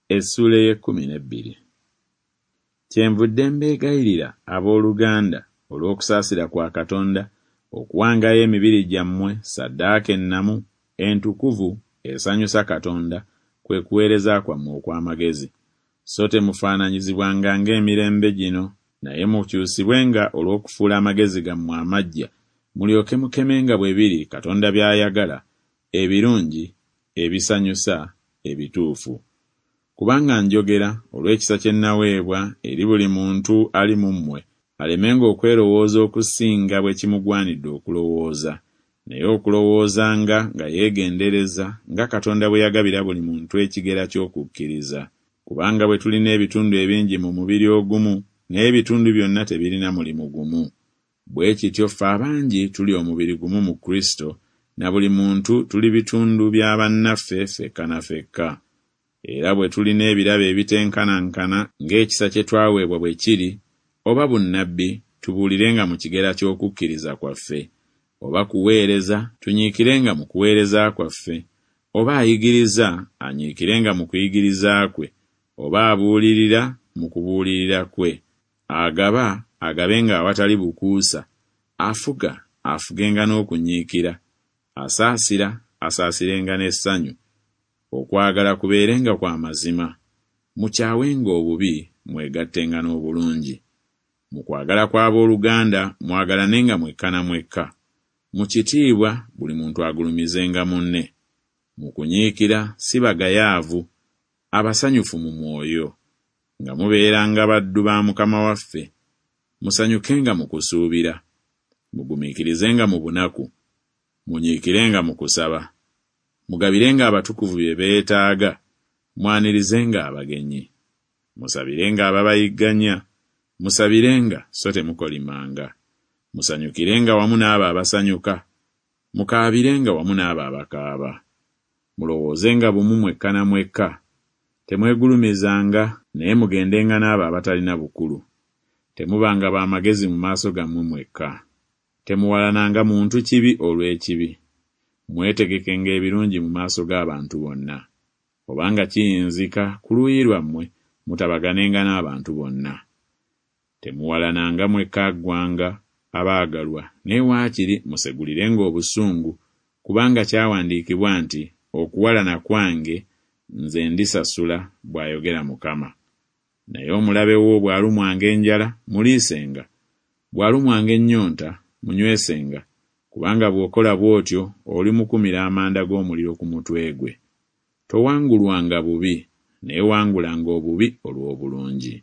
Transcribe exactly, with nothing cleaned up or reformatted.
Essuula ey'ekkumi n'ebbiri. Kyenvudde mbeegayirira, abooluganda, olw'okusaasira kwa Katonda, okuwangayo emibiri gyammwe ssaddaaka ennamu, entukuvu, esanyusa Katonda, kwe kuweereza kwammwe okw'amagezi. So temufaananyizibwanga ng'emirembe gino, naye mukyusibwenga olw'okufuula amagezi gammwe amaggya, mulyoke mukemenga bwe biri Katonda by'ayagala, ebirungi, ebisanyusa, ebituufu. Kubanga njogera olw'ekisa kye nnaweebwa eri buli muntu ali mu mmwe, alemenga okwerowooza okusinga bwe kimugwanidde okulowooza, naye okulowoozanga nga yeegendereza nga Katonda bwe yagabira buli muntu ekigera ky'okukkiriza. Kubanga bwe tulina ebitundu ebingi mu mubiri ogumu, naye ebitundu byonna tebirina mulimu gumu. Bwe kityo ffe abangi tuli omubiri gumu mu Kristo, na buli muntu tuli bitundu bya bannaffe ffekka na ffekka. Era bwe tulina ebirabo ebitenkanankana ng'ekisa kye twaweebwa bwe kiri, oba bunnabbi, tubuulirenga mu kigera ky'okukkiriza kwaffe; oba kuweereza, tunyiikirenga mu kuweereza kwaffe; oba ayigiriza, anyiikirenga mu kuyigiriza kwe; oba abuulirira, mu kubuulirira kwe; agaba, agabenga awatali bukuusa; afuga, afugenga n'okunyiikira; asaasira, asaasirenga n'essanyu. Okwagala kubeerenga kwa mazima. Mukyawenga obubi, mwegattenga n'obulungi. Mu kwagala kw'abooluganda mwagalanenga mwekka na mwekka. Mu kitiibwa buli muntu agulumizenga munne. Mu kunyiikira si bagayaavu, abasanyufu mu mwoyo, nga mubeeranga baddu ba Mukama waffe. Musanyukenga mu kusuubira, mugumiikirizenga mu bunaku, munyiikirenga mu kusaba. Mugabirenga abatukuvu bye beetaaga, mwanirizenga abagenyi. Musabirenga ababayigganya, musabirenga so temukolimanga. Musanyukirenga wamu n'abo abasanyuka, mukaabirenga wamu n'abo abakaaba. Mulowoozenga bumu mwekka na mwekka. Temwegulumizanga, naye mugendenga n'abo abatalina bukulu. Temubanga ba magezi mu maaso gammwe mwekka. Temuwalananga muntu kibi olw'ekibi. Mwetegekenga ebirungi mu maaso g'abantu bonna. Obanga kiyinzika ku luuyi lwammwe, mutabaganenga n'abantu bonna. Temuwalananga mwekka ggwanga, abaagalwa, naye waakiri musegulirenga obusungu, kubanga kyawandiikibwa nti, Okuwalana kwange, nze ndisasula, bw'ayogera Mukama. Naye omulabe wo bw'alumwanga enjala, muliisenga, bw'alumwanga ennyonta, munywesenga, kubanga bw'okola bw'otyo olimukumira amanda g'omuliro ku mutwe gwe. Towangulwanga bubi, naye wangulanga obubi olw'obulungi.